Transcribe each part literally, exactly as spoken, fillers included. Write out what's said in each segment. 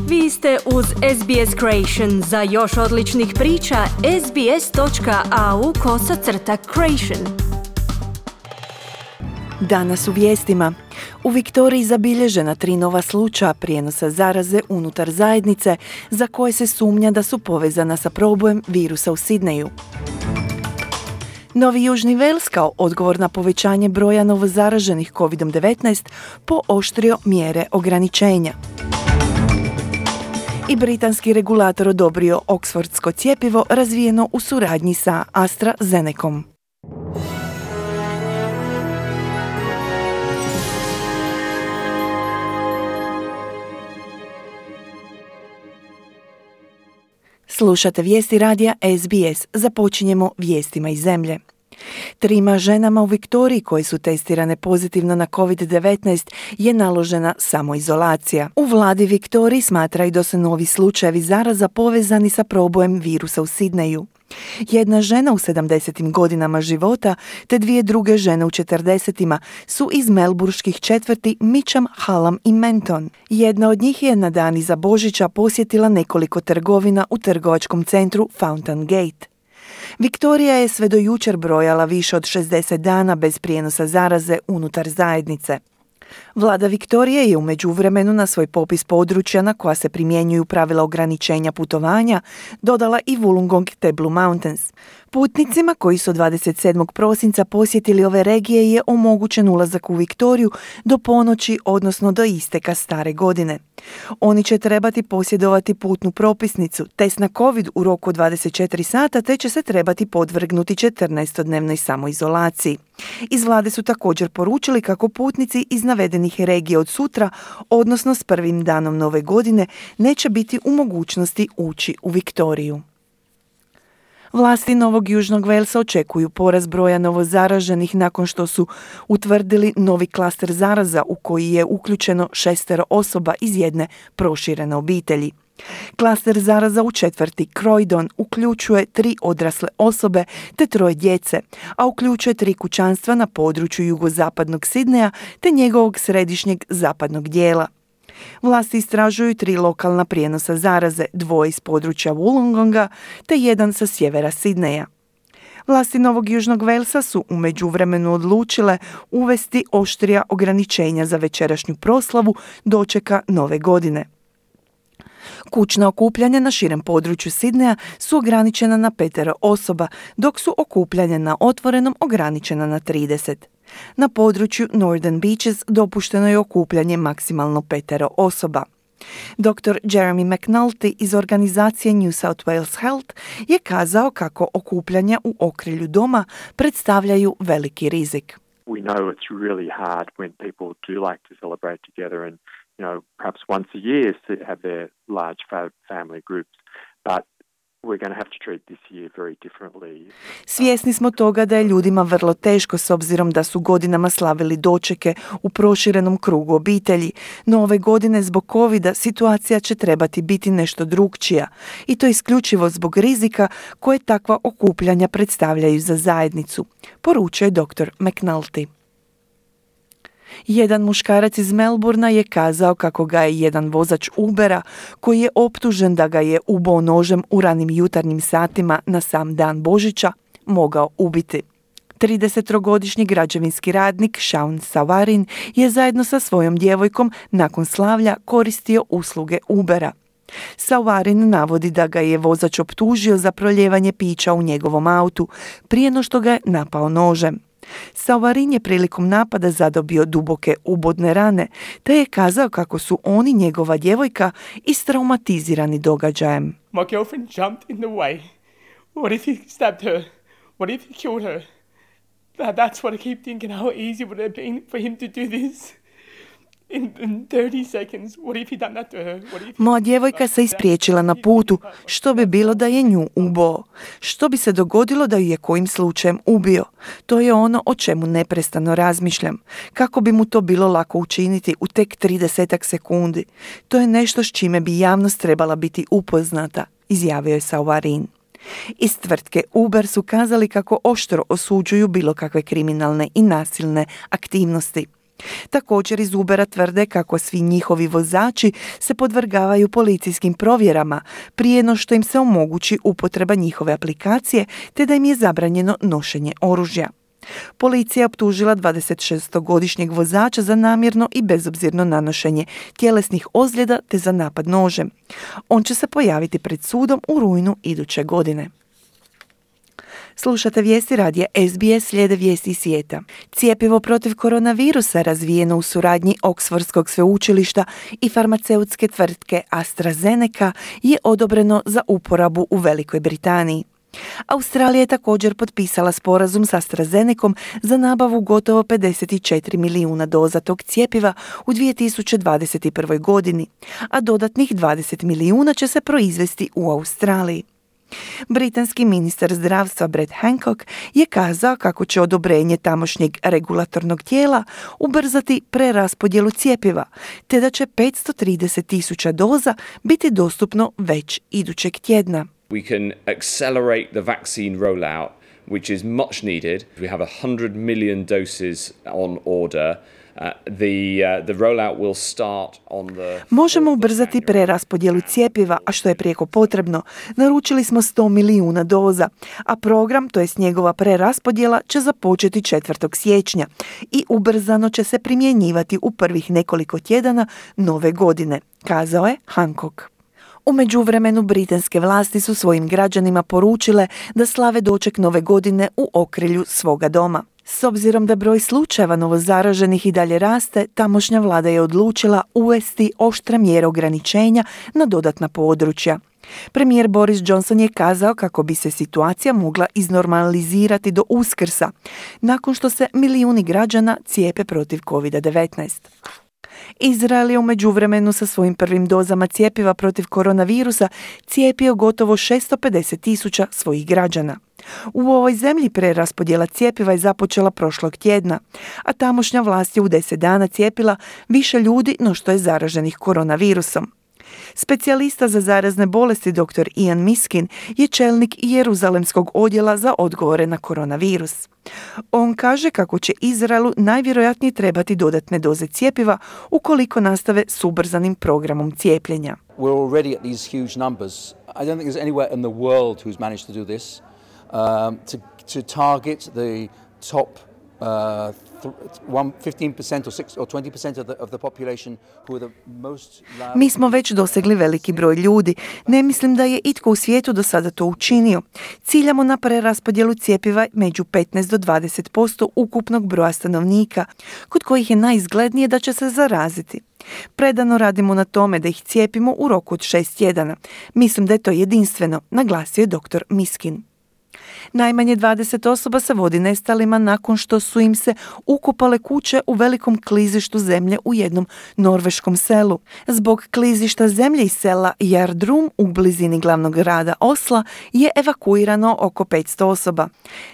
Vi ste uz S B S Creation. Za još odličnih priča, sbs.au kosacrta creation. Danas u vijestima. U Viktoriji zabilježena tri nova slučaja prijenosa zaraze unutar zajednice za koje se sumnja da su povezana sa probojem virusa u Sidneju. Novi Južni Wales kao odgovor na povećanje broja novozaraženih kovid devetnaest pooštrio mjere ograničenja. I britanski regulator odobrio oksfordsko cjepivo razvijeno u suradnji sa AstraZenecom. Slušate vijesti radija S B S. Započinjemo vijestima iz zemlje. Trima ženama u Viktoriji koje su testirane pozitivno na kovid devetnaest je naložena samoizolacija. U vladi Viktoriji smatraju da su novi slučajevi zaraza povezani sa probojem virusa u Sidneju. Jedna žena u sedamdesetim godinama života te dvije druge žene u četrdesetima su iz melburških četvrti Mitcham, Hallam i Menton. Jedna od njih je na dan iza Božića posjetila nekoliko trgovina u trgovačkom centru Fountain Gate. Viktorija je sve do jučer brojala više od šezdeset dana bez prijenosa zaraze unutar zajednice. Vlada Viktorije je u međuvremenu na svoj popis područja na koja se primjenjuju pravila ograničenja putovanja dodala i Wollongong te Blue Mountains. Putnicima koji su dvadeset sedmog prosinca posjetili ove regije je omogućen ulazak u Viktoriju do ponoći, odnosno do isteka stare godine. Oni će trebati posjedovati putnu propisnicu, test na COVID u roku od dvadeset četiri sata te će se trebati podvrgnuti četrnaestodnevnoj samoizolaciji. Iz vlade su također poručili kako putnici iz navedenih regija od sutra, odnosno s prvim danom nove godine, neće biti u mogućnosti ući u Viktoriju. Vlasti Novog Južnog Walesa očekuju porast broja novozaraženih nakon što su utvrdili novi klaster zaraza u koji je uključeno šestero osoba iz jedne proširene obitelji. Klaster zaraza u četvrti Croydon uključuje tri odrasle osobe te troje djece, a uključuje tri kućanstva na području jugozapadnog Sidneja te njegovog središnjeg zapadnog dijela. Vlasti istražuju tri lokalna prijenosa zaraze, dvoje iz područja Wollongonga te jedan sa sjevera Sidneja. Vlasti Novog Južnog Walesa su u međuvremenu odlučile uvesti oštrija ograničenja za večerašnju proslavu dočeka nove godine. Kućna okupljanja na širem području Sidneja su ograničena na petero osoba, dok su okupljanja na otvorenom ograničena na trideset. Na području Northern Beaches dopušteno je okupljanje maksimalno petero osoba. doktor Jeremy McNulty iz organizacije New South Wales Health je kazao kako okupljanja u okrilju doma predstavljaju veliki rizik. We know it's really hard when people do like to celebrate together and, you know, perhaps once a year to have their large family groups, but we're going to have to treat this year very differently. Svjesni smo toga da je ljudima vrlo teško s obzirom da su godinama slavili dočeke u proširenom krugu obitelji, no ove godine zbog covida situacija će trebati biti nešto drukčija i to isključivo zbog rizika koje takva okupljanja predstavljaju za zajednicu, poručuje doktor McNulty. Jedan muškarac iz Melbourna je kazao kako ga je jedan vozač Ubera, koji je optužen da ga je uboo nožem u ranim jutarnjim satima na sam dan Božića, mogao ubiti. tridesettrogodišnji građevinski radnik Sean Savarin je zajedno sa svojom djevojkom nakon slavlja koristio usluge Ubera. Savarin navodi da ga je vozač optužio za proljevanje pića u njegovom autu prije no što ga je napao nožem. Savarin je prilikom napada zadobio duboke ubodne rane, te je kazao kako su on i njegova djevojka istraumatizirani događajem. My girlfriend jumped in the way. What if he stabbed her? What if he killed her? That, that's what I keep thinking. How easy would it have been for him to do this? In, in thirty seconds. What if he done that to her? What if... Moja djevojka se ispriječila na putu. Što bi bilo da je nju uboo? Što bi se dogodilo da ju je kojim slučajem ubio? To je ono o čemu neprestano razmišljam. Kako bi mu to bilo lako učiniti u tek tridesetak sekundi? To je nešto s čime bi javnost trebala biti upoznata, izjavio je Savarin. Iz tvrtke Uber su kazali kako oštro osuđuju bilo kakve kriminalne i nasilne aktivnosti. Također iz Ubera tvrde kako svi njihovi vozači se podvrgavaju policijskim provjerama prije no što im se omogući upotreba njihove aplikacije te da im je zabranjeno nošenje oružja. Policija je optužila dvadesetšestogodišnjeg vozača za namjerno i bezobzirno nanošenje tjelesnih ozljeda te za napad nožem. On će se pojaviti pred sudom u rujnu iduće godine. Slušate vijesti radija S B S, slijede vijesti iz svijeta. Cjepivo protiv koronavirusa razvijeno u suradnji Oksfordskog sveučilišta i farmaceutske tvrtke AstraZeneca je odobreno za uporabu u Velikoj Britaniji. Australija je također potpisala sporazum s AstraZenecom za nabavu gotovo pedeset četiri milijuna doza tog cjepiva u dvije tisuće dvadeset prve. godini, a dodatnih dvadeset milijuna će se proizvesti u Australiji. Britanski ministar zdravstva Brett Hancock je kazao kako će odobrenje tamošnjeg regulatornog tijela ubrzati preraspodjelu cjepiva, te da će petsto trideset tisuća doza biti dostupno već idućeg tjedna. We can accelerate the vaccine rollout, which is much needed. We have one hundred million doses on order. Uh, the, uh, the rollout will start on the... Možemo ubrzati preraspodjelu cjepiva, a što je prijeko potrebno. Naručili smo sto milijuna doza, a program, to jest njegova preraspodjela, će započeti četvrtog siječnja i ubrzano će se primjenjivati u prvih nekoliko tjedana nove godine, kazao je Hancock. U međuvremenu britanske vlasti su svojim građanima poručile da slave doček nove godine u okrilju svoga doma. S obzirom da broj slučajeva novozaraženih i dalje raste, tamošnja vlada je odlučila uvesti oštre mjere ograničenja na dodatna područja. Premijer Boris Johnson je kazao kako bi se situacija mogla iznormalizirati do Uskrsa, nakon što se milijuni građana cijepe protiv kovid devetnaest. Izrael je u međuvremenu sa svojim prvim dozama cjepiva protiv koronavirusa cijepio gotovo šesto pedeset tisuća svojih građana. U ovoj zemlji preraspodjela cjepiva je započela prošlog tjedna, a tamošnja vlast je u deset dana cijepila više ljudi no što je zaraženih koronavirusom. Specijalista za zarazne bolesti dr. Ian Miskin je čelnik Jeruzalemskog odjela za odgovore na koronavirus. On kaže kako će Izraelu najvjerojatnije trebati dodatne doze cjepiva ukoliko nastave s ubrzanim programom cijepljenja. We're already at these huge numbers. I don't think there's anywhere in the world who's managed to do this. Um, to, to target the top uh, fifteen percent or six or twenty percent of the of the population who are the most. Mi smo već dosegli veliki broj ljudi. Ne mislim da je itko u svijetu do sada to učinio. Ciljamo na preraspodjelu cjepiva među petnaest do dvadeset posto ukupnog broja stanovnika, kod kojih je najizglednije da će se zaraziti. Predano radimo na tome da ih cijepimo u roku od šest tjedana. Mislim da je to jedinstveno, naglasio je dr. Miskin. Najmanje dvadeset osoba se vodi nestalima nakon što su im se ukopale kuće u velikom klizištu zemlje u jednom norveškom selu. Zbog klizišta zemlje iz sela Jardrum u blizini glavnog grada Osla je evakuirano oko petsto osoba.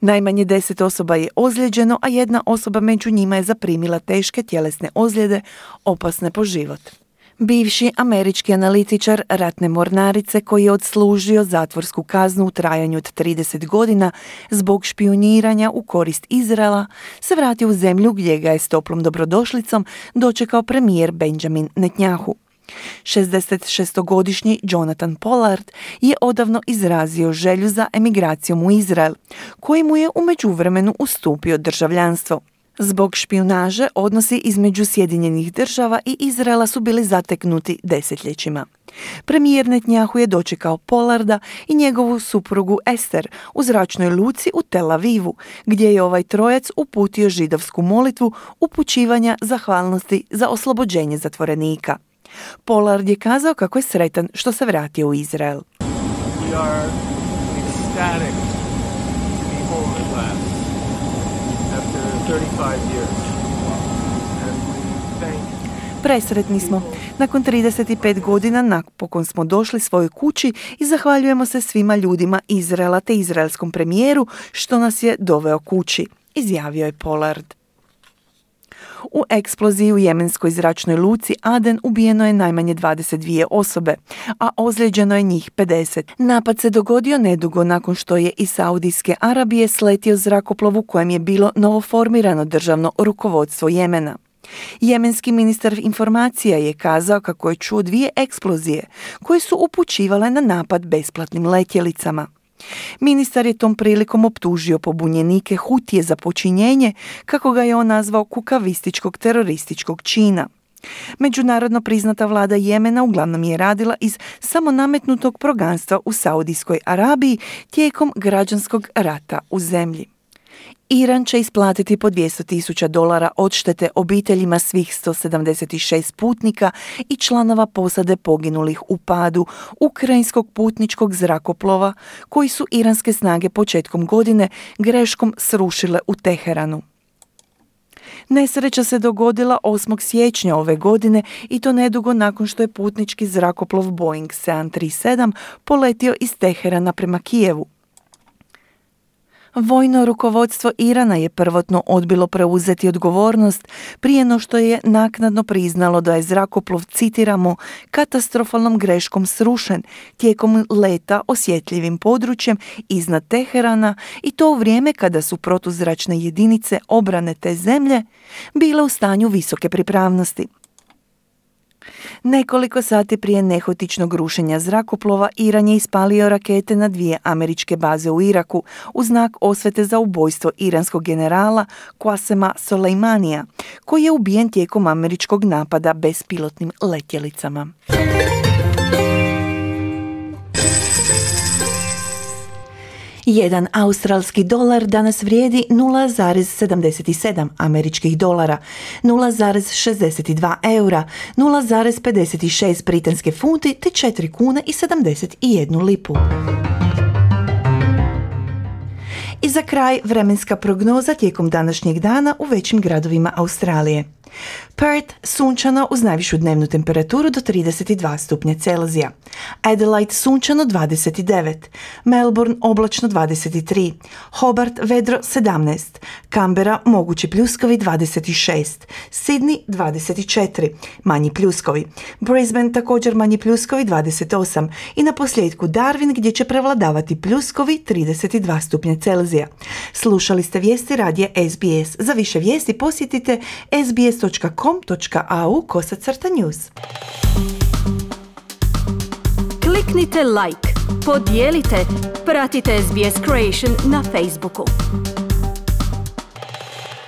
Najmanje deset osoba je ozlijeđeno, a jedna osoba među njima je zaprimila teške tjelesne ozljede, opasne po život. Bivši američki analitičar ratne mornarice koji je odslužio zatvorsku kaznu u trajanju od trideset godina zbog špijuniranja u korist Izraela se vratio u zemlju gdje ga je s toplom dobrodošlicom dočekao premijer Benjamin Netanyahu. šezdesetšestogodišnji Jonathan Pollard je odavno izrazio želju za emigracijom u Izrael, koji mu je u međuvremenu ustupio državljanstvo. Zbog špijunaže odnosi između Sjedinjenih država i Izraela su bili zateknuti desetljećima. Premijer Netanyahu je dočekao Pollarda i njegovu suprugu Ester u zračnoj luci u Tel Avivu, gdje je ovaj trojac uputio židovsku molitvu upućivanja zahvalnosti za oslobođenje zatvorenika. Pollard je kazao kako je sretan što se vratio u Izrael. We are ecstatic to be home at last after thirty-five years. And we thank Presretni smo. Nakon trideset pet godina napokon smo došli svojoj kući i zahvaljujemo se svima ljudima Izraela te izraelskom premijeru što nas je doveo kući, izjavio je Pollard. U eksploziji u jemenskoj zračnoj luci Aden ubijeno je najmanje dvadeset dvije osobe, a ozlijeđeno je njih pedeset. Napad se dogodio nedugo nakon što je iz Saudijske Arabije sletio zrakoplov u kojem je bilo novoformirano državno rukovodstvo Jemena. Jemenski ministar informacija je kazao kako je čuo dvije eksplozije koje su upućivale na napad besplatnim letjelicama. Ministar je tom prilikom optužio pobunjenike Hutije za počinjenje, kako ga je on nazvao, kukavističkog terorističkog čina. Međunarodno priznata vlada Jemena uglavnom je radila iz samonametnutog proganstva u Saudijskoj Arabiji tijekom građanskog rata u zemlji. Iran će isplatiti po dvjesto tisuća dolara odštete obiteljima svih sto sedamdeset šest putnika i članova posade poginulih u padu ukrajinskog putničkog zrakoplova koji su iranske snage početkom godine greškom srušile u Teheranu. Nesreća se dogodila osmog siječnja ove godine i to nedugo nakon što je putnički zrakoplov Boeing sedam tri sedam poletio iz Teherana prema Kijevu. Vojno rukovodstvo Irana je prvotno odbilo preuzeti odgovornost prije no što je naknadno priznalo da je zrakoplov, citiramo, katastrofalnom greškom srušen tijekom leta osjetljivim područjem iznad Teherana i to u vrijeme kada su protuzračne jedinice obrane te zemlje bile u stanju visoke pripravnosti. Nekoliko sati prije nehotičnog rušenja zrakoplova, Iran je ispalio rakete na dvije američke baze u Iraku u znak osvete za ubojstvo iranskog generala Qasema Soleimanija, koji je ubijen tijekom američkog napada bespilotnim letjelicama. Jedan australski dolar danas vrijedi nula zarez sedamdeset sedam američkih dolara, nula zarez šezdeset dva eura, nula zarez pedeset šest britanske funti te četiri kune i sedamdeset jednu lipu. I za kraj vremenska prognoza tijekom današnjeg dana u većim gradovima Australije. Perth sunčano uz najvišu dnevnu temperaturu do trideset dva stupnja Celzija. Adelaide sunčano dvadeset devet. Melbourne oblačno dvadeset tri. Hobart vedro sedamnaest. Canberra mogući pljuskovi dvadeset šest. Sydney dvadeset četiri. Manji pljuskovi. Brisbane također manji pljuskovi dvadeset osam. I na posljedku Darwin gdje će prevladavati pljuskovi trideset dva stupnja Celzija. Slušali ste vijesti radija S B S. Za više vijesti posjetite s b s dot com dot a u kosacrta news. Kliknite like, podijelite, pratite S B S Creation na Facebooku.